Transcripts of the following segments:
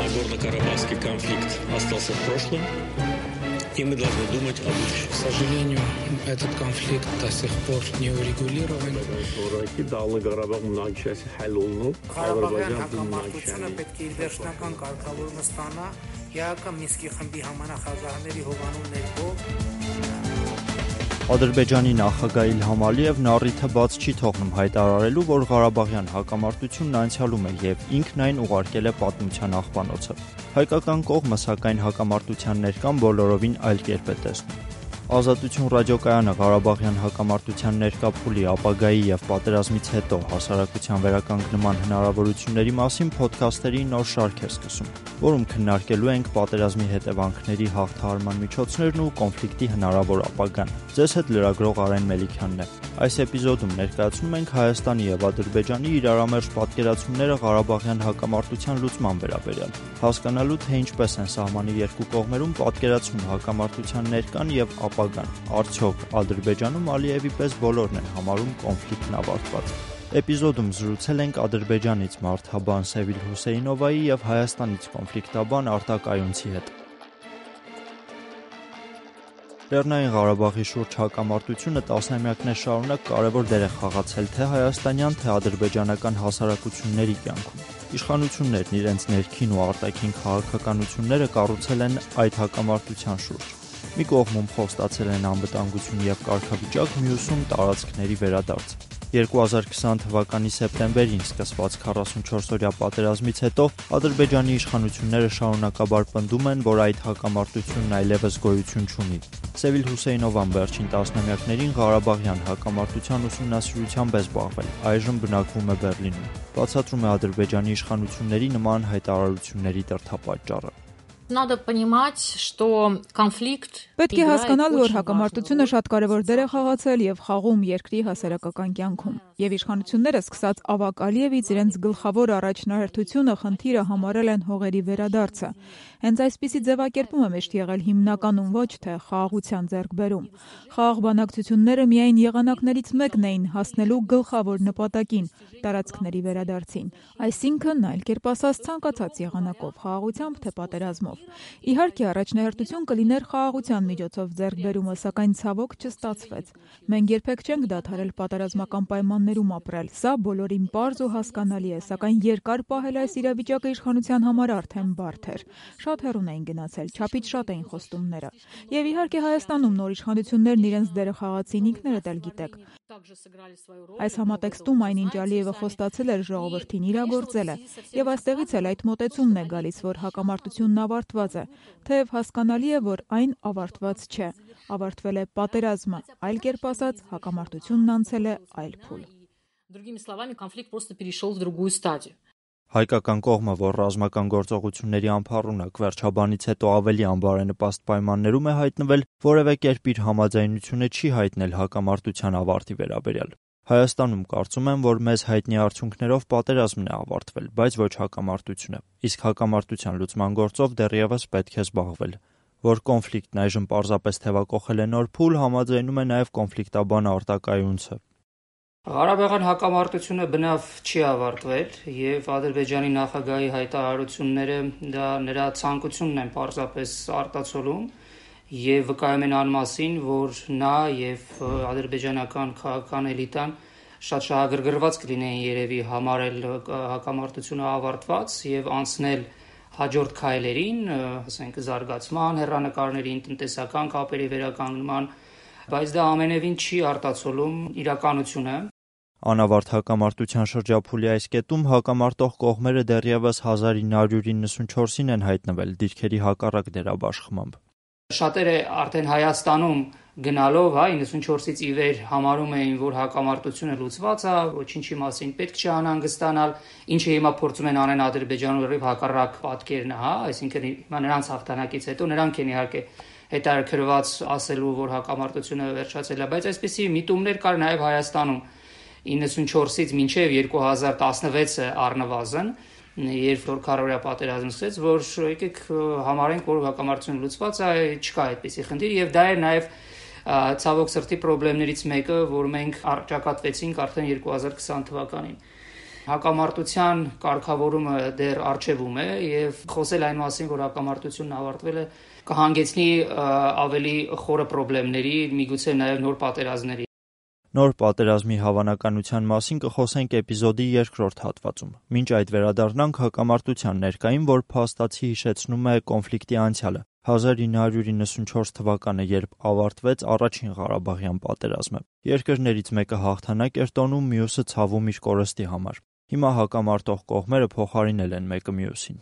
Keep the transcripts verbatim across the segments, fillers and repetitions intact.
Нагорно-Карабахский конфликт остался в прошлом, и мы должны думать о будущем. К сожалению, этот конфликт до сих пор не урегулирован. Ադրբեջանի նախագահ Իլհամ Ալիևն առիթը բաց չի թողնում հայտարարելու, որ Ղարաբաղյան հակամարտությունն անցյալում է և ինքն այն ուղարկել է պատմության աղբանոցը։ Հայկական կողմը, սակայն, հակամարտության ներկան բոլորովին այլ կերպ է տեսնում։ Ազատություն ռադիոկայանը Ղարաբաղյան հակամարտության ներկա փուլի, ապագայի և պատերազմից հետո հասարակության վերականգնման հնարավորությունների մասին փոդքասթերի նոր շարք է սկսում, որում քննարկելու ենք պատերազմի հետևանքների հաղթահարման միջոցներն ու կոնֆլիկտի հնարավոր ապագան։ Ձեզ հետ լրագրող Արեն Մելիքյանն է։ Այս էպիզոդում ներկայացնում ենք Հայաստանի և Ադրբեջանի իրարամերժ պատկերացումները Ղարաբաղյան հակամարտության լուծման վերաբերյալ, հասկանալու թե ինչպես են սահմանի երկու կողմերում պատկերացում հակամարտության ներկան և ապագան, արդյոք Ադրբեջանում Ալիևի պես բոլորն են համարում կոնֆլիկտն ավարտված։ Էպիզոդում զրուցել ենք Ադրբեջանից մարդաբան Սևիլ Հուսեյնովայի և Հայաստանից կոնֆլիկտաբան Արտակ Այունցի հետ։ Լեռնային Ղարաբաղի շուրջ հակամարտությունը տասնամյակներ շարունակ կարևոր դեր է խաղացել թե հայաստանյան, թե ադրբեջանական հասարակությունների կյանքում։ Իշխանություններն իրենց ներքին ու արտաքին քաղաքականությունները կառուցել են այդ հակամարտության շուրջ։ Մի կողմում խոստացել են անվտանգություն և կարգավիճակ, մյուսում տարածքների վերադարձ։ երկու հազար քսան թվականի սեպտեմբերին սկսված քառասունչորսօրյա պատերազմից հետո Ադրբեջանի իշխանությունները շարունակաբար պնդում են, որ այդ հակամարտությունն այլևս գոյություն չունի։ Սևիլ Հուսեյնովան վերջին տասնամյակներին Ղարաբաղյան հակամարտության ուսումնասիրությամբ է զբաղվել, այժմ բնակվում է Բեռլինում։ Բացատրում է Ադրբեջանի իշխանությունների նման հայտարարությունների դրդապատճառը։ Надо понимать, что конфликт Պետք է հասկանալ, որ հակամարտությունը շատ կարևոր դեր է խաղացել եւ խաղում երկրի հասարակական կյանքում։ Եվ իշխանությունները սկսած Ավակ Ալիևից իրենց գլխավոր առաջնահերթությունը խնդիրը համարել են հողերի վերադարձը։ Հենց այսպիսի ձևակերպում է միշտ եղել հիմնականում ոչ թե խաղաղության ձեռքբերում։ Խաղաղ բանակցությունները միայն եղանակներից մեկն էին հասնելու գլխավոր նպատակին՝ տարածքների վերադարձին։ Այսինքն, այլ կերպ ասած, ցանկացած եղանակով, խաղաղությամբ թե պատերազմով։ Իհարկե, առաջնահերթություն կլիներ խաղաղության միջոցով ձեռքբերումը, սակայն ցավոք չստացվեց։ Մենք երբեք չենք դադարել պատերազմական պայմաններում ապրել։ Սա բոլորին պարզ ու հասկանալի է, սակայն երկար պահել այս իրավիճակը իշխանության համար արդեն բարդ էր։ Շատ հեռուն էին գնացել, չափից շատ էին խոստումները։ Եվ իհարկե Հայաստանում նոր իշխանություններն իրենց դերը խաղացին, ինքներդ էլ գիտեք։ Այս համատեքստում այնինչ Ալիևը խոստացել էր ժողովրդին իրագործել է, եւ այստեղից էլ այդ մոտեցումն է գալիս, որ հակամարտությունն ավարտված է, թեև հասկանալի է, որ այն ավարտված չէ, ավարտվել է պատերազմը, այլ կերպ ասած, հակամարտությունն անցել է այլ փուլ։ Другими словами, конфликт просто перешел в другую стадию. Հայկական կողմը, որ ռազմական գործողությունների ամփառունակ վերջաբանից հետո ավելի անբարենպաստ պայմաններում է հայտնվել, որևէ կերպ իր համաձայնությունը չի հայտնել հակամարտության ավարտի վերաբերյալ։ Հայաստանում կարծում եմ, որ մեզ հայտնի արդյունքներով պատերազմն է ավարտվել, բայց ոչ հակամարտությունը, իսկ հակամարտության լուծման գործով դեռևս պետք է զբաղվել։ Որ կոնֆլիկտն այժմ պարզապես թևակոխել է նոր փուլ, համաձայնում է նաև կոնֆլիկտաբան Արտակ Այունցը։ Ղարաբաղյան հակամարտությունը բնավ չի ավարտվել եւ Ադրբեջանի նախագահի հայտարարությունները դա նրա ցանկությունն են պարզապես արտացոլում եւ վկայում են անմասին, որ նա եւ ադրբեջանական քաղաքական էլիտան շատ շահագրգռված կլինեին երևի համարել հակամարտությունը ավարտված եւ անցնել հաջորդ քայլերին, ասենք զարգացման, հեռանկարներին, տնտեսական կապերի վերականգնման, բայց դա ամենևին չի արտացոլում իրականությունը։ Անավարտ հակամարտության շրջափուլի այս կետում հակամարտող կողմերը դեռևս հազար ինը հարյուր իննսունչորսին են հայտնվել դիրքերի հակառակ դերաբաշխմամբ։ Շատերը արդեն Հայաստանում գնալով, հա, իննսունչորսից ի վեր համարում էին, որ հակամարտությունը լուծված է, ոչինչի մասին պետք չի անհանգստանալ, ինչը հիմա փորձում են անեն Ադրբեջանում լրիվ հակառակ պատկերն է, հա, այսինքն հիմա նրանց հաղթանակից հետո նրանք են իհարկե հետաքրքրված ասելու, որ հակամարտությունը վերջացել է, բայց այսպիսի միտումներ կար նաև Հայաստանում իննսունչորսից մինչև երկու հազար տասնվեցը առնվազն, երբ որ քառօրյա պատերազմ սկսեց, որ եկեք համարենք, որ հակամարտությունը լուծված է, չկա այդպիսի խնդիր, եւ դա էր նաև ցավոք սրտի խնդիրներից մեկը, որ մենք առճակատվեցինք արդեն երկու հազար քսան թվականին։ Հակամարտության կարգավորումը դեռ առջևում է եւ խոսել այն մասին, որ հակամարտությունն ավարտվել է, կհանգեցնի ավելի խորը խնդիրների, միգուցե նաեւ նոր պատերազմների։ Նոր պատերազմի հավանականության մասին կխոսենք էպիզոդի երկրորդ հատվածում։ Մինչ այդ վերադառնանք հակամարտության ներկային, որ փաստացի հիշեցնում է կոնֆլիկտի անցյալը։ հազար ինը հարյուր իննսունչորս թվականը, երբ ավարտվեց առաջին Ղարաբաղյան պատերազմը։ Երկրներից մեկը հաղթանակ էր տոնում, մյուսը ցավում իր կորստի համար։ Հիմա հակամարտող կողմերը փոխարինել են մեկը մյուսին։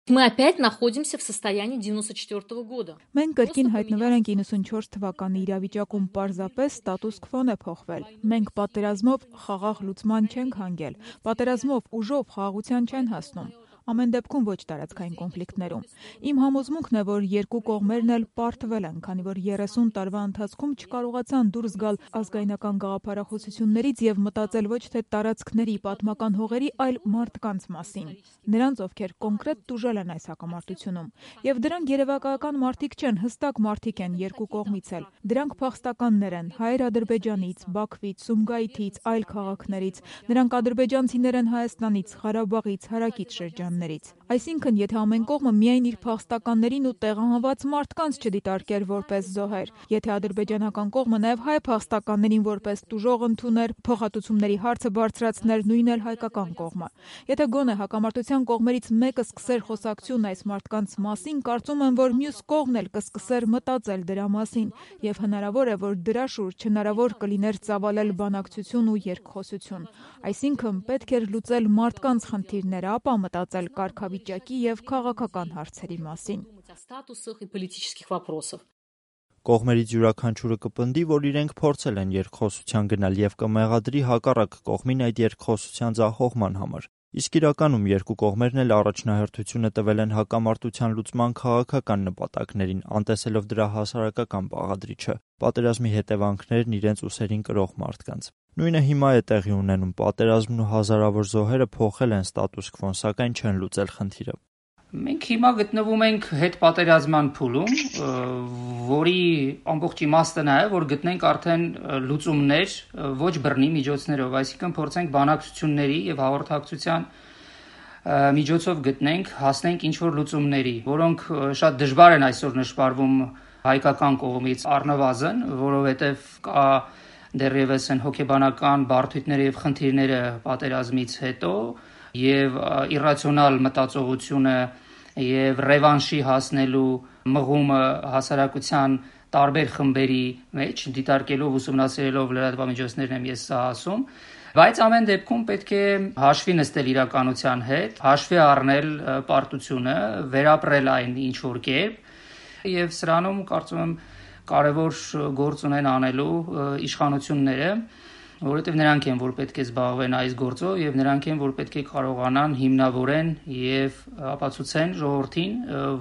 Мы опять находимся в состоянии девяносто четвёртого года. Մենք կրկին հայտնվել ենք իննսունչորս թվականի իրավիճակում, պարզապես ստատուս քվոն է փոխվել։ Մենք պատերազմով խաղաղ լուծման չենք հանգել, պատերազմով ուժով խաղաղության չեն հասնում։ Ամեն դեպքում ոչ տարածքային կոնֆլիկտներում։ Իմ համոզմունքն է, որ երկու կողմերն էլ պարտվել են, քանի որ երեսուն տարվա ընթացքում չկարողացան դուրս գալ ազգայնական գաղափարախոսություններից եւ մտածել ոչ թե տարածքների, պատմական հողերի, այլ մարդկանց մասին։ Նրանց, ովքեր կոնկրետ տուժել են այս հակամարտությունում։ Եվ դրանք երևակայական մարդիկ չեն, հստակ մարդիկ են երկու կողմից էլ։ Դրանք փախստականներ են հայեր Ադրբեջանից, Բաքվից, Սումգայիթից, այլ քաղաքներից։ Նրանք ադրբեջանցիներ են Հայաստանից, Ղարաբաղից, հարակից շրջան։ Այսինքն, եթե ամեն կողմը միայն իր փախստականներին ու տեղահանված մարդկանց չդիտարկեր որպես զոհեր, եթե ադրբեջանական կողմը նաև հայ փախստականներին որպես տուժող ընդուներ, փոխհատուցումների հարցը բարձրացներ, նույն էլ հայկական կողմը, եթե գոնե հակամարտության կողմերից մեկը սկսեր խոսակցություն այս մարդկանց մասին, կարծում եմ, որ մյուս կողմն էլ կսկսեր մտածել դրա մասին, եւ հնարավոր է, որ դրա շուրջ հնարավոր կլիներ ծավալել բանակցություն ու երկխոսություն։ Այսինքն, պետք էր լուծել մարդկանց խնդիրները, ապա մտածել կարգավիճակի եւ քաղաքական հարցերի մասին։ Կողմերից յուրաքանչյուրը կպնդի, որ իրենք փորձել են երկխոսության գնալ եւ կմեղադրի հակառակ կողմին այդ երկխոսության ձախողման համար։ Իսկ իրականում երկու կողմերն էլ առաջնահերթությունը տվել են հակամարտության լուծման քաղաքական նպատակներին, անտեսելով դրա հասարակական բաղադրիչը, պատերազմի հետևանքներն իրենց ուսերին կրող մարդկանց։ Նույնը հիմա է տեղի ունենում, պատերազմն ու հազարավոր զոհերը փոխել են ստատուս քվոն, սակայն չեն լուծել խնդիրը։ Մենք հիմա գտնվում ենք հետպատերազմյան փուլում, որի ամբողջ իմաստը նա է, որ գտնենք արդեն լուծումներ ոչ բռնի միջոցներով, այսինքն փորձենք բանակցությունների եւ հաղորդակցության միջոցով գտնենք, հասնենք ինչ-որ լուծումների, որոնք շատ դժվար են այսօր նշмарվում հայկական կողմից առնվազն, որովհետեւ կա դեռևս են հոգեբանական բարդությունները եւ խնդիրները պատերազմից հետո եւ իրացիոնալ մտածողությունը եւ ռևանշի հասնելու մղումը հասարակության տարբեր խմբերի մեջ դիտարկելով ուսումնասիրելով լրատվամիջոցներն եմ ես սա ասում, բայց ամեն դեպքում պետք է հաշվի նստել իրականության հետ, հաշվի առնել պարտությունը, վերապրել այն ինչ որ կերպ եւ սրանում կարծում եմ կարևոր գործ ունեն անելու իշխանությունները, որովհետև նրանք են, որ պետք է զբաղվեն այս գործով եւ նրանք են, որ պետք է կարողանան հիմնավորեն եւ ապացուցեն ժողովրդին,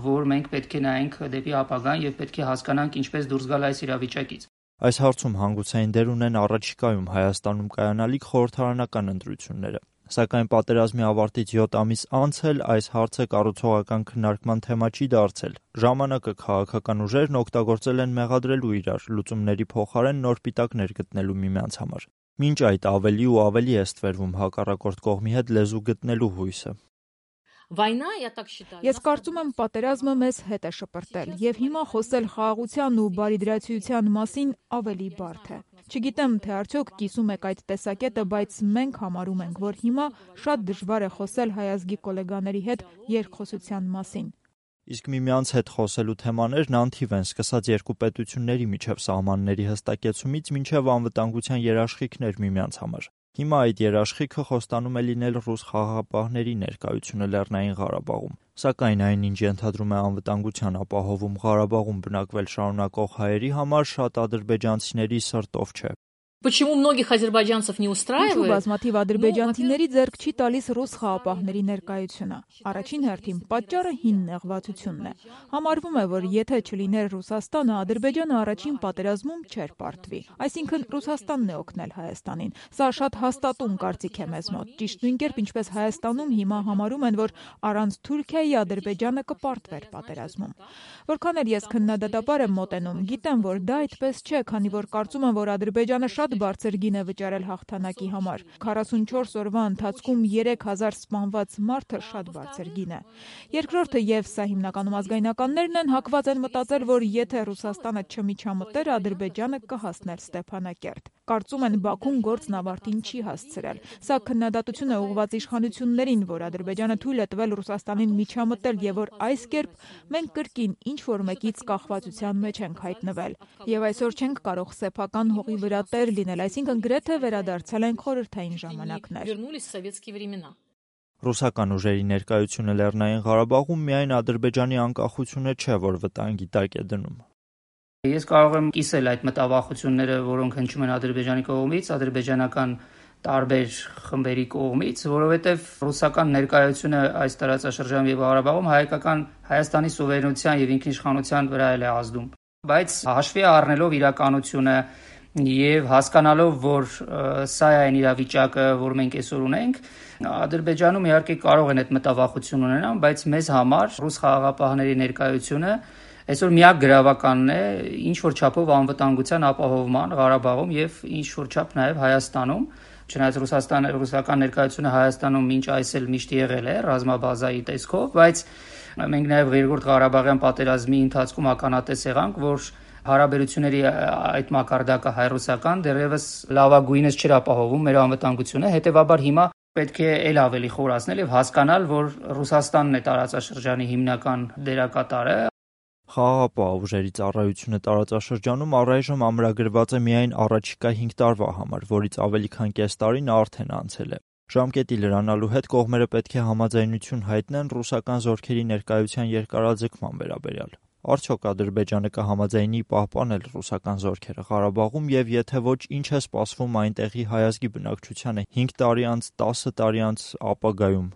որ մենք պետք է նայենք դեպի ապագան եւ պետք է հասկանանք ինչպես դուրս գալ այս իրավիճակից։ Այս հարցում հանգուցային դեր ունեն առաջիկայում Հայաստանում կայանալիք խորհրդարանական ընտրությունները։ Սակայն պատերազմի ավարտից յոթ ամիս անց էլ այս հարցը կառուցողական քննարկման թեմա չի դարձել։ Ժամանակը քաղաքական ուժերն օգտագործել են մեղադրելու իրար, լուծումների փոխարեն նոր պիտակներ գտնելու միմյանց համար։ Մինչ այդ ավելի ու ավելի է ստվերվում հակառակորդ կողմի հետ լեզու գտնելու հույսը։ Ես կարծում եմ պատերազմը մեզ հետ է շպրտել եւ հիմա խոսել խաղաղության ու բարիդրացիության մասին ավելի բարդ է։ Չգիտեմ, թե արդյոք կիսում եք այդ տեսակետը, բայց մենք համարում ենք, որ հիմա շատ դժվար է խոսել հայազգի գոլեգաների հետ երկխոսության մասին։ Իսկ միմյանց հետ խոսելու թեմաներն անթիվ են, սկսած երկու պետությունների միջև սահմանների հստակեցումից մինչև անվտանգության երաշխիքներ միմյանց համար։ Հիմա այդ երաշխիքը խոստանում է լինել ռուս խաղաղապահների ներկայությունը Լեռնային Ղարաբաղում, սակայն այնինչ ենթադրում է անվտանգության ապահովում Ղարաբաղում բնակվել շարունակող հայերի համար շատ ադրբեջանցիների սրտով չէ։ Почему многих азербайджанцев не устраивает? Բազմաթիվ ադրբեջանցիների ձեռք չի տալիս ռուս խաղապահների ներկայությունը։ Առաջին հերթին պատճառը հին նեղվածությունն է։ Համարվում է, որ եթե չլիներ Ռուսաստանը, Ադրբեջանը առաջին պատերազմում չէր պարտվի։ Այսինքն Ռուսաստանն է օգնել Հայաստանին։ Սա շատ հաստատուն կարծիք է մեզ մոտ։ Ճիշտ նույն կերպ ինչպես Հայաստանում հիմա համարում են, որ առանց Թուրքիայի Ադրբեջանը կպարտվեր պատերազմում։ Որքան էլ ես քննադատաբար եմ մոտենում, գիտեմ, որ դա այդպես չէ, քանի որ կարծում եմ, որ Ադրբեջանը շատ շատ բարձր գին է վճարել հաղթանակի համար։ քառասունչորս օրվա ընթացքում երեք հազար սպանված մարդը շատ բարձր գին է։ Երկրորդը եւ սա հիմնականում ազգայնականներն են հակված են մտածել, որ եթե Ռուսաստանը չմիջամտեր, Ադրբեջանը կհասներ Ստեփանակերտ։ Կարծում են Բաքուն գործն ավարտին չի հասցրել։ Սա քննադատություն է ուղղված իշխանություններին, որ Ադրբեջանը թույլ է տվել Ռուսաստանին միջամտել եւ որ այս կերպ մենք կրկին ինչ որ մեկից կախվածության մեջ ենք հայտնվել։ Եվ այսօր չենք կարող սեփական հողի վրա տեր լինել, այսինքն գրեթե վերադարձել ենք խորհրդային ժամանակներ։ Ռուսական ուժերի ներկայությունը Լեռնային Ղարաբաղում միայն Ադրբեջանի անկախությունը չէ, որ վտանգի տակ է դնում։ Ես կարող եմ կիսել այդ մտավախությունները, որոնք հնչում են Ադրբեջանի կողմից, ադրբեջանական տարբեր խմբերի կողմից, որովհետև ռուսական ներկայությունը այս տարածաշրջանում եւ Ղարաբաղում հայկական Հայաստանի սուվերենության եւ ինքնիշխանության վրա էլ է ազդում։ Բայց հաշվի առնելով իրականությունը եւ հասկանալով, որ սա է այն իրավիճակը, որ մենք այսօր ունենք, Ադրբեջանում իհարկե կարող են այդ մտավախություն ունենալ, բայց մեզ համար ռուս խաղաղապահների ներկայությունը այսօր միակ գրավականն է ինչ որ չափով անվտանգության ապահովման Ղարաբաղում եւ ինչ որ չափ նաեւ Հայաստանում, չնայած Ռուսաստանը ռուսական ներկայությունը Հայաստանում մինչ այս էլ միշտ եղել է ռազմաբազայի տեսքով, բայց մենք նաեւ երկրորդ Ղարաբաղյան պատերազմի ընթացքում ականատես եղանք, որ հարաբերությունների այդ մակարդակը հայ-ռուսական դեռևս լավագույնս չէր ապահովում մեր անվտանգությունը, հետեւաբար հիմա պետք է ել ավելի խորացնել եւ հասկանալ, որ Ռուսաստանն է տարածաշրջանի հիմնական դերակատարը։ Խաղաղապահ ուժերի ծառայությունը տարածաշրջանում առայժմ ամրագրված է միայն առաջիկա հինգ տարվա համար, որից ավելի քան կես տարին արդեն անցել է։ Ժամկետի լրանալու հետ կողմերը պետք է համաձայնություն հայտնեն ռուսական զորքերի ներկայության երկարաձգման վերաբերյալ։ Արդյոք Ադրբեջանը կհամաձայնի պահպանել ռուսական զորքերը Ղարաբաղում եւ եթե ոչ, ինչ է սպասվում այնտեղի հայազգի բնակչությանը հինգ տարի անց, տասը տարի անց ապագայում։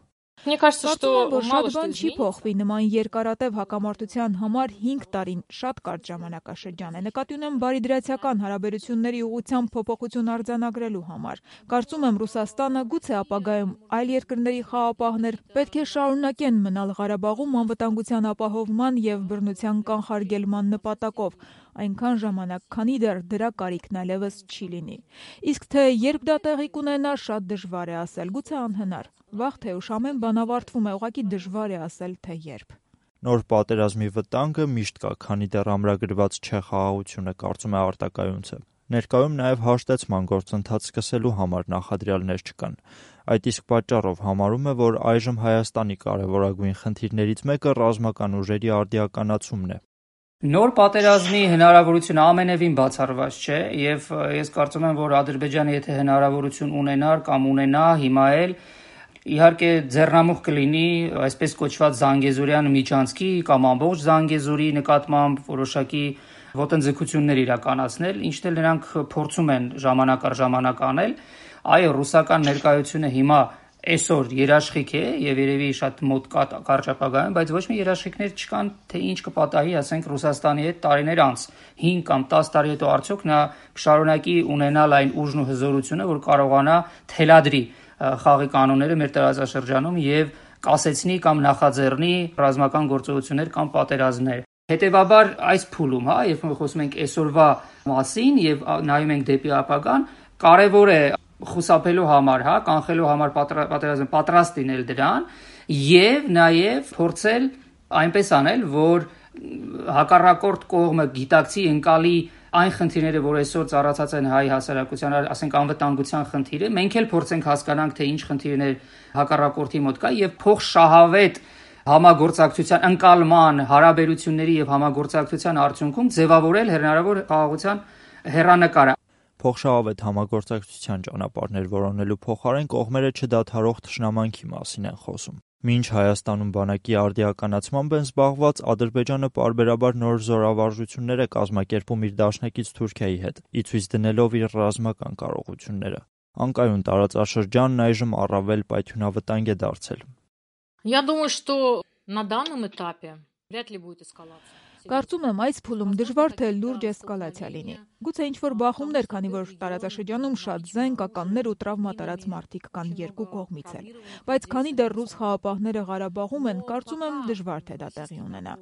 Мне кажется, что որ շատ բան չի փոխվի նման երկարատև հակամարտության համար հինգ տարին շատ կարճ ժամանակաշրջան է։ Նկատի ունեմ բարիդրացիական հարաբերությունների ուղղությամբ փոփոխություն արձանագրելու համար։ Կարծում եմ Ռուսաստանը գուցե ապագայում այլ երկրների խաղապահներ պետք է շարունակեն մնալ Ղարաբաղում անվտանգության ապահովման եւ բռնության կանխարգելման նպատակով, այնքան ժամանակ, քանի դեռ դրա կարիքն այլևս չի լինի։ Իսկ թե երբ դա տեղի կունենա, շատ դժվար է ասել, գուցե անհնար։ Վաղ թե ուշ ամեն բան ավարտվում է, ուղղակի դժվար է ասել, թե երբ։ Նոր պատերազմի վտանգը միշտ կա, քանի դեռ ամրագրված չէ խաղաղությունը, կարծում է արտակայունցը։ Ներկայում նաև հաշտեցման գործընթաց սկսելու համար նախադրյալներ չկան։ Այդ իսկ պատճառով համարում է, որ այժմ Հայաստանի կարևորագույն խնդիրներից մեկը ռազմական ուժերի արդիականացումն է։ Նոր պատերազմի հնարավորությունը ամենևին բացառված չէ եւ ես կարծում եմ, որ Ադրբեջանը եթե հնարավորություն ունենար կամ ունենա հիմա էլ իհարկե ձեռնամուխ կլինի այսպես կոչված Զանգեզուրյան միջանցքի կամ ամբողջ Զանգեզուրի նկատմամբ որոշակի ոտնձգություններ իրականացնել, ինչն էլ նրանք փորձում են ժամանակ առ ժամանակ անել։ Այո, ռուսական ներկայությունը հիմա այսօր երաշխիք է եւ երևի շատ մոտ կարճ ապագայում, բայց ոչ մի երաշխիքներ չկան, թե ինչ կպատահի, ասենք Ռուսաստանի հետ տարիներ անց, հինգ կամ տասը տարի հետո արդյոք նա կշարունակի ունենալ այն ուժն ու հզորությունը, որ կարողանա թելադրի խաղի կանոնները մեր տարածաշրջանում եւ կասեցնի կամ նախաձեռնի ռազմական գործողություններ կամ պատերազմներ։ Հետևաբար այս փուլում, հա, երբ մենք խոսում ենք այսօրվա մասին եւ նայում ենք դեպի ապագան, կարեւոր է խուսափելու համար, հա, կանխելու համար պատերազմը պատրաստ լինել դրան եւ նաեւ փորձել այնպես անել, որ հակառակորդ կողմը գիտակցի ընկալի այն խնդիրները, որ այսօր ծառացած են հայ հասարակության, ասենք անվտանգության խնդիրը, մենք էլ փորձենք հասկանանք, թե ինչ խնդիրներ հակառակորդի մոտ կա եւ փոխշահավետ համագործակցության ընկալման, հարաբերությունների եւ համագործակցության արդյունքում ձևավորել հնարավոր խաղաղության հեռանկարը։ Փոխշահավետ համագործակցության ճանապարհներ որոնելու փոխարեն կողմերը չդադարող թշնամանքի մասին են խոսում։ Մինչ Հայաստանում բանակի արդիականացմամբ են զբաղված, Ադրբեջանը պարբերաբար նոր զորավարժություններ է կազմակերպում իր դաշնակից Թուրքիայի հետ, ի ցույց դնելով իր ռազմական կարողությունները։ Անկայուն տարածաշրջանն այժմ առավել պայթյունավտանգ է դարձել։ Я думаю, что на данном этапе вряд ли будет эскалация. Կարծում եմ, այս փուլում դժվար թե լուրջ էսկալացիա լինի։ Գուցե ինչ-որ բախումներ, քանի որ տարածաշրջանում շատ զենքականներ ու տրավմատարած մարդիկ կան երկու կողմից էլ։ Բայց քանի դեռ ռուս խաղապահները Ղարաբաղում են, կարծում եմ դժվար թե դա տեղի ունենա։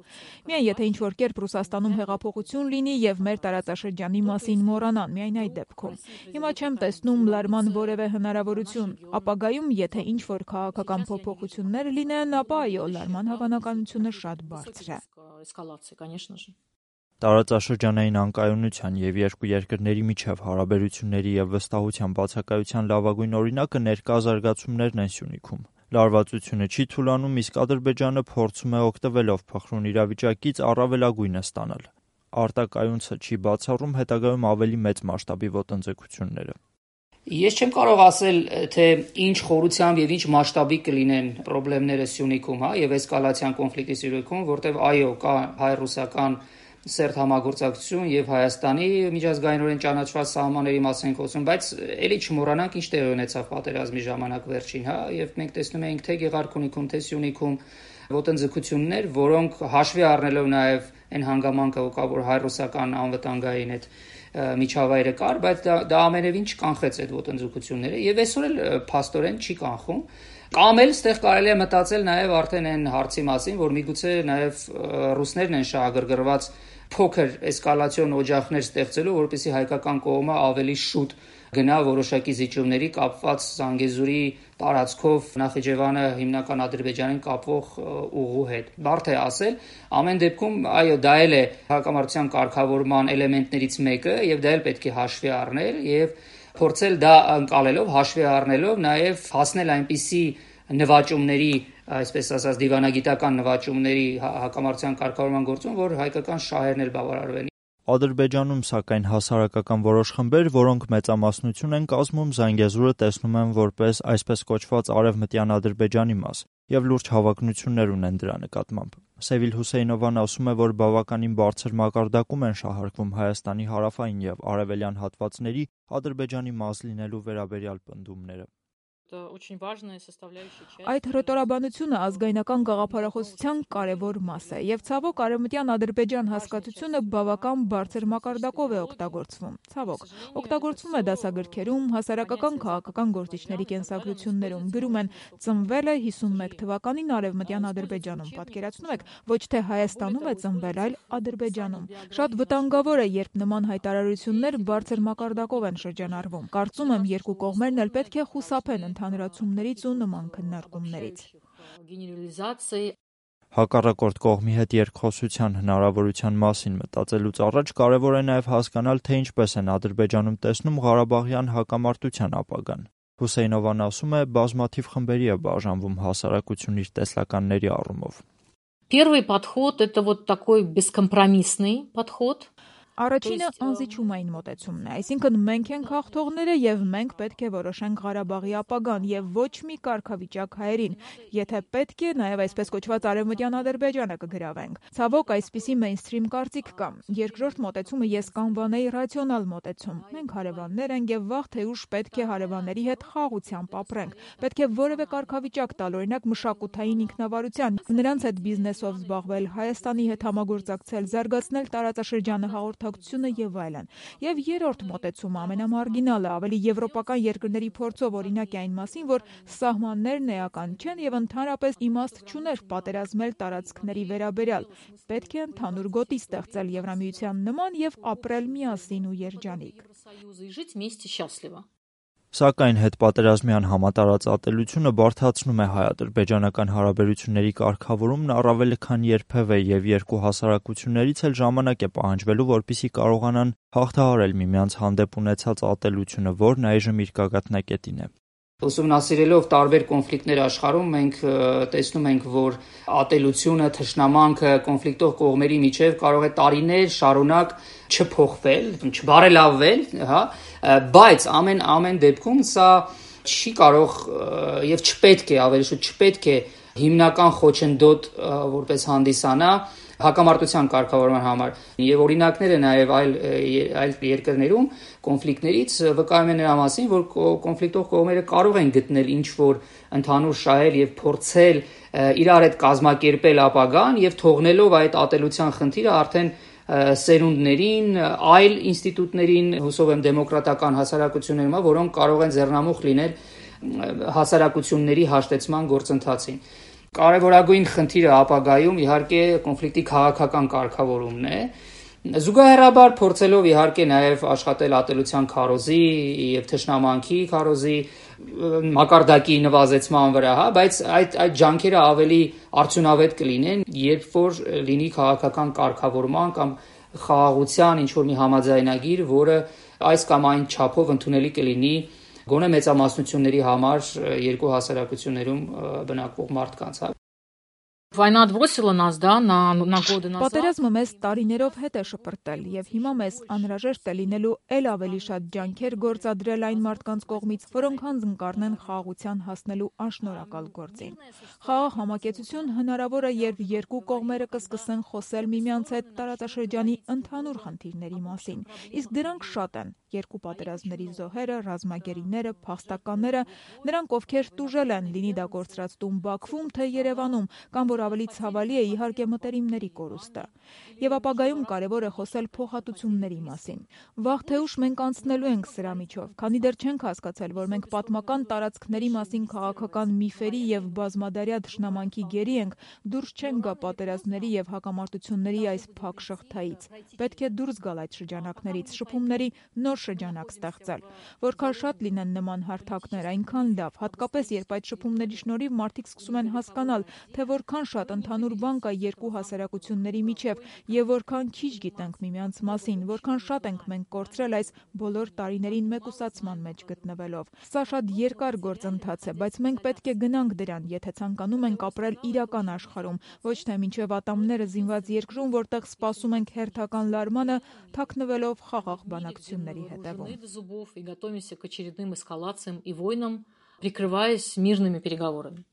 Միայն եթե ինչ-որ կերպ Ռուսաստանում հեղափոխություն լինի եւ մեր տարածաշրջանի մասին մոռանան, միայն այդ դեպքում։ Հիմա չեմ տեսնում լարման որևէ հնարավորություն։ Ապագայում, եթե ինչ-որ քաղաքական փոփոխություններ լինեն, ապա այո, լարման հավանականությունը շատ բարձր է։ Эскалации, конечно же. Տարածաշրջանային անկայունության եւ երկու երկրների միջև հարաբերությունների եւ վստահության բացակայության լավագույն օրինակը ներկա զարգացումներն են Սյունիքում։ Լարվածությունը չի թուլանում, իսկ Ադրբեջանը փորձում է օգտվելով փխրուն իրավիճակից առավելագույնը ստանալ։ Արտակայունցը չի բացառում հետագայում ավելի մեծ մասշտաբի ոտնձգությունները։ Ես չեմ կարող ասել, թե ինչ խորությամբ եւ ինչ մասշտաբի կլինեն խնդիրները Սյունիքում, հա, եւ էսկալացիան կոնֆլիկտի Սյունիքում, որտեղ այո, կա հայ-ռուսական սերտ համագործակցություն եւ Հայաստանի միջազգայինորեն ճանաչված սահմանների մասին խոսում, բայց ելի չմոռանանք ինչ տեղի ունեցավ պատերազմի ժամանակ վերջին, հա, եւ մենք տեսնում ենք թե Գեղարքունիքում, թե Սյունիքում ոտնձգություններ, որոնք հաշվի առնելով նաեւ այն հանգամանքը, որ հայ-ռուսական անվտանգային այդ միջավայրը կար, բայց դա, դա ամենևին չկանխեց այդ ոտնձգությունները եւ այսօր էլ փաստորեն չի կանխում։ Կամ էլ ստեղ կարելի է մտածել նաեւ արդեն այն հարցի մասին, որ միգուցե նաեւ ռուսներն են շահագրգռված փոքր էսկալացիոն օջախներ ստեղծելու, որպեսզի հայկական կողմը ավելի շուտ գնա որոշակի զիջումների կապված Զանգեզուրի տարածքով Նախիջևանը հիմնական Ադրբեջանին կապվող ուղու հետ։ Բարդ է ասել, ամեն դեպքում այո, դա էլ է հակամարտության կարգավորման էլեմենտներից մեկը եւ դա էլ պետք է հաշվի առնել եւ փորձել դա ընկալելով, հաշվի առնելով նաեւ հասնել այնպիսի նվաճումների, այսպես ասած դիվանագիտական նվաճումների հակամարտության կարգավորման գործում, որ հայկական շահերն էլ բավարարվեն։ Ադրբեջանում, սակայն, հասարակական որոշ խմբեր, որոնք մեծամասնություն են կազմում, Զանգեզուրը տեսնում են որպես այսպես կոչված արևմտյան Ադրբեջանի մաս եւ լուրջ հավակնություններ ունեն դրա նկատմամբ։ Սևիլ Հուսեյնովան ասում է, որ բավականին բարձր մակարդակում են շահարկվում Հայաստանի հարավային եւ արևելյան հատվածների Ադրբեջանի մաս լինելու վերաբերյալ պնդումները։ Այդ հռետորաբանությունը ազգայնական գաղափարախոսության կարևոր մաս է եւ ցավոք արևմտյան Ադրբեջան հասկացությունը բավական բարձր մակարդակով է օգտագործվում։ Ցավոք, օգտագործվում է դասագրքերում, հասարակական քաղաքական գործիչների կենսագրություններում, գրում են ծնվել է հիսունմեկ թվականին արևմտյան Ադրբեջանում, պատկերացնում եք, ոչ թե Հայաստանում է ծնվել, այլ Ադրբեջանում։ Շատ վտանգավոր է, երբ նման հայտարարություններ բարձր մակարդակով են շրջանառվում։ Կարծում եմ, երկու կողմերն էլ պետք է խուսափեն ընդհանրացումներից ու նման քննարկումներից։ Հակառակորդ կողմի հետ երկխոսության հնարավորության մասին մտածելուց առաջ կարևոր է նաև հասկանալ, թե ինչպես են Ադրբեջանում տեսնում Ղարաբաղյան հակամարտության ապագան։ Հուսեյնովան ասում է, բազմաթիվ խմբերի է բաժանվում հասարակություն իր տեսլականների առումով։ Первый подход это вот такой бескомпромиссный подход. Առաջինը անզիջումային մոտեցումն է, այսինքն մենք ենք հաղթողները եւ մենք պետք է որոշենք Ղարաբաղի ապագան եւ ոչ մի կարգավիճակ հայերին, եթե պետք է նաեւ այսպես կոչված արևմտյան Ադրբեջանը կգրավենք։ Ցավոք այսպիսի մեյնսթրիմ կարծիք կա։ Երկրորդ մոտեցումը ես կանվանեի ռացիոնալ մոտեցում։ Մենք հարևաններ ենք եւ վաղ թե ուշ պետք է հարևանների հետ խաղությամբ ապրենք։ Պետք է որևէ կարգավիճակ տալ, օրինակ մշակութային ինքնավարության, նրանց հետ բիզնեսով զբաղվել, Հայաստանի հետ համագործակցել, զարգացնել տարածաշրջանը հաղորդ եւ այլն։ Եվ երրորդ մոտեցումը ամենամարգինալը, ավելի եվրոպական երկրների փորձով օրինակ է այն մասին, որ սահմաններն էական չեն եւ ընդհանրապես իմաստ չուներ պատերազմել տարածքների վերաբերյալ։ Պետք է ընդհանուր գոտի ստեղծել Եվրամիության նման եւ ապրել միասին ու երջանիկ։ Սակայն հետպատերազմյան համատարած ատելությունը բարդացնում է հայ-ադրբեջանական հարաբերությունների կարգավորումն առավել քան երբևէ եւ երկու հասարակություններից էլ ժամանակ է պահանջվելու, որպեսզի կարողանան հաղթահարել միմյանց հանդեպ ունեցած ատելությունը, որն այժմ իր գագաթնակետին է։ Ուսումնասիրելով տարբեր կոնֆլիկտներ աշխարհում մենք տեսնում ենք, որ ատելությունը, թշնամանքը կոնֆլիկտող կողմերի միջև կարող է տարիներ շարունակ չփոխվել, չբարելավվել, հա, բայց ամեն ամեն դեպքում սա չի կարող եւ չպետք է, ավելի շուտ չպետք է հիմնական խոչընդոտ որպես հանդիսանա հակամարտության կարգավորման համար եւ օրինակները նաեւ այլ այլ երկրներում կոնֆլիկտներից վկայում են նրա մասին, որ կոնֆլիկտող կողմերը կարող են գտնել ինչ որ ընդհանուր շահեր եւ փորձել իրար հետ կազմակերպել ապագան եւ թողնելով այդ ատելության խնդիրը արդեն սերունդներին, այլ ինստիտուտներին, հուսով եմ դեմոկրատական հասարակություններում, որոնք կարող են ձեռնամուխ լինել հասարակությունների հաշտեցման գործընթացին։ Կարևորագույն խնդիրը ապագայում իհարկե կոնֆլիկտի քաղաքական կարգավորումն է։ Զուգահեռաբար փորձելով իհարկե նաև աշխատել ատելության քարոզի եւ թշնամանքի քարոզի մակարդակի նվազեցման վրա, հա, բայց այդ այդ ջանքերը ավելի արդյունավետ կլինեն, երբ որ լինի քաղաքական կարգավորման կամ խաղաղության ինչ որ մի համաձայնագիր, որը այս կամ այն չափով ընդունելի կլինի գոնե մեծամասնությունների համար երկու հասարակություններում բնակվող մարդկանց, հա։ Война отбросила нас, да, на, на годы назад. Պատերազմը մեզ տարիներով հետ է շպրտել եւ հիմա մեզ անհրաժեշտ է լինելու ել ավելի շատ ջանքեր գործադրել այն մարդկանց կողմից, որոնք հանձն կառնեն խաղաղության հասնելու անշնորհակալ գործին։ Խաղաղ համակեցություն հնարավոր է, երբ երկու կողմերը կսկսեն խոսել միմյանց հետ տարածաշրջանի ընդհանուր խնդիրների մասին։ Իսկ դրանք շատ են՝ երկու պատերազմների զոհերը, ռազմագերիները, փախստականները, նրանք ովքեր տուժել են, լինի դա կորցրածտում Բաքվում, թե Երևանում, կամ որ ավելի ցավալի է իհարկե մտերիմների կորուստը։ Եվ ապագայում կարևոր է խոսել փոխհատուցումների մասին։ Վաղ թե ուշ մենք անցնելու ենք սրա միջով, քանի դեռ չենք հասկացել, որ մենք պատմական տարածքների մասին քաղաքական միֆերի եւ բազմադարյա թշնամանքի գերի ենք, դուրս չենք գա պատերազմների եւ հակամարտությունների այս փակ շղթայից։ Պետք է դուրս գալ այդ շրջանակներից, շփումների նոր շրջանակ ստեղծել։ Որքան շատ լինեն նման հարթակներ, այնքան լավ, հատկապես երբ այդ շփումների շնորհիվ մարդիկ սկսում են հասկանալ, թե որքան շատ ընդհանուր բան կա երկու հասարակությունների միջև եւ որքան քիչ գիտենք միմյանց մասին, որքան շատ ենք մենք կորցրել այս բոլոր տարիներին մեկուսացման մեջ գտնվելով։ Սա շատ երկար գործընթաց է, բայց մենք պետք է գնանք դրան, եթե ցանկանում ենք апրել իրական աշխարհում, ոչ թե մինչև ատամները զինված երկրում, որտեղ սպասում ենք հերթական լարմանը, թաքնվելով խաղաղ բանակցությունների հետևում։ И готовимся к очередным эскалациям и войнам, прикрываясь мирными переговорами.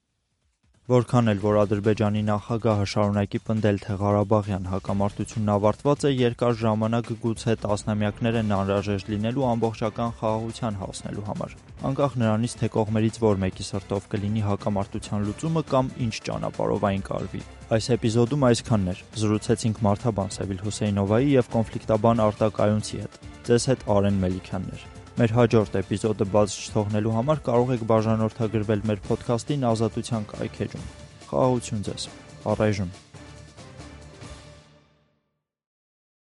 Որքան էլ որ Ադրբեջանի նախագահը շարունակի պնդել, թե Ղարաբաղյան հակամարտությունն ավարտված է, երկար ժամանակ գուցե տասնամյակներ են անհրաժեշտ լինելու ամբողջական խաղաղության հասնելու համար։ Անկախ նրանից, թե կողմերից որ մեկի սրտով կլինի հակամարտության լուծումը կամ ինչ ճանապարհով այն կարվի։ Այս էպիզոդում այսքանն էր։ Զրուցեցինք մարդաբան Սևիլ Հուսեյնովայի եւ կոնֆլիկտաբան Արտակ Այունցի հետ։ Ձեզ հետ Արեն Մելիքյանն էր։ Մեր հաջորդ էպիզոդը բաց չթողնելու համար կարող եք բաժանորդագրվել մեր ոդքասթին Ազատության կայքէջում։ Խաղաղություն ձեզ։ Առայժմ